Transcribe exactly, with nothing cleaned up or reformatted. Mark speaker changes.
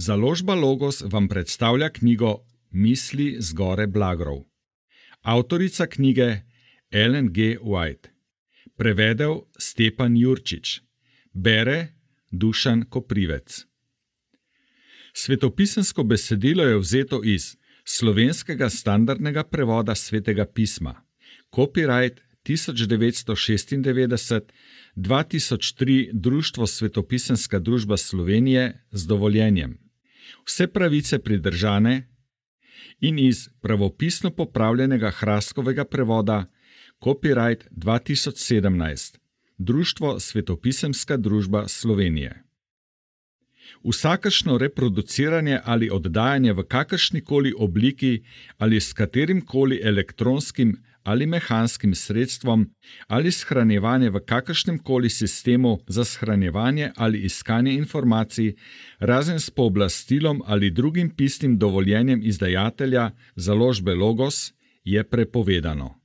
Speaker 1: Založba Logos vam predstavlja knjigo Misli z gore Blagrov. Avtorica knjige Ellen G. White. Prevedel Stepan Jurčič. Bere Dušan Koprivec. Svetopisemsko besedilo je vzeto iz slovenskega standardnega prevoda Svetega pisma. Copyright tisoč devetsto šestindevetdeset dva tisoč tri Društvo Svetopisemska družba Slovenije z dovoljenjem. Vse pravice pridržane in iz pravopisno popravljenega Hraskovega prevoda Copyright dva tisoč sedemnajst Društvo Svetopisemska družba Slovenije. Vsakršno reproduciranje ali oddajanje v kakršnikoli obliki ali s katerimkoli elektronskim ali mehanskim sredstvom ali shranjevanje v kakršnemkoli sistemu za shranjevanje ali iskanje informacij, razen s pooblastilom ali drugim pisnim dovoljenjem izdajatelja založbe Logos, je prepovedano.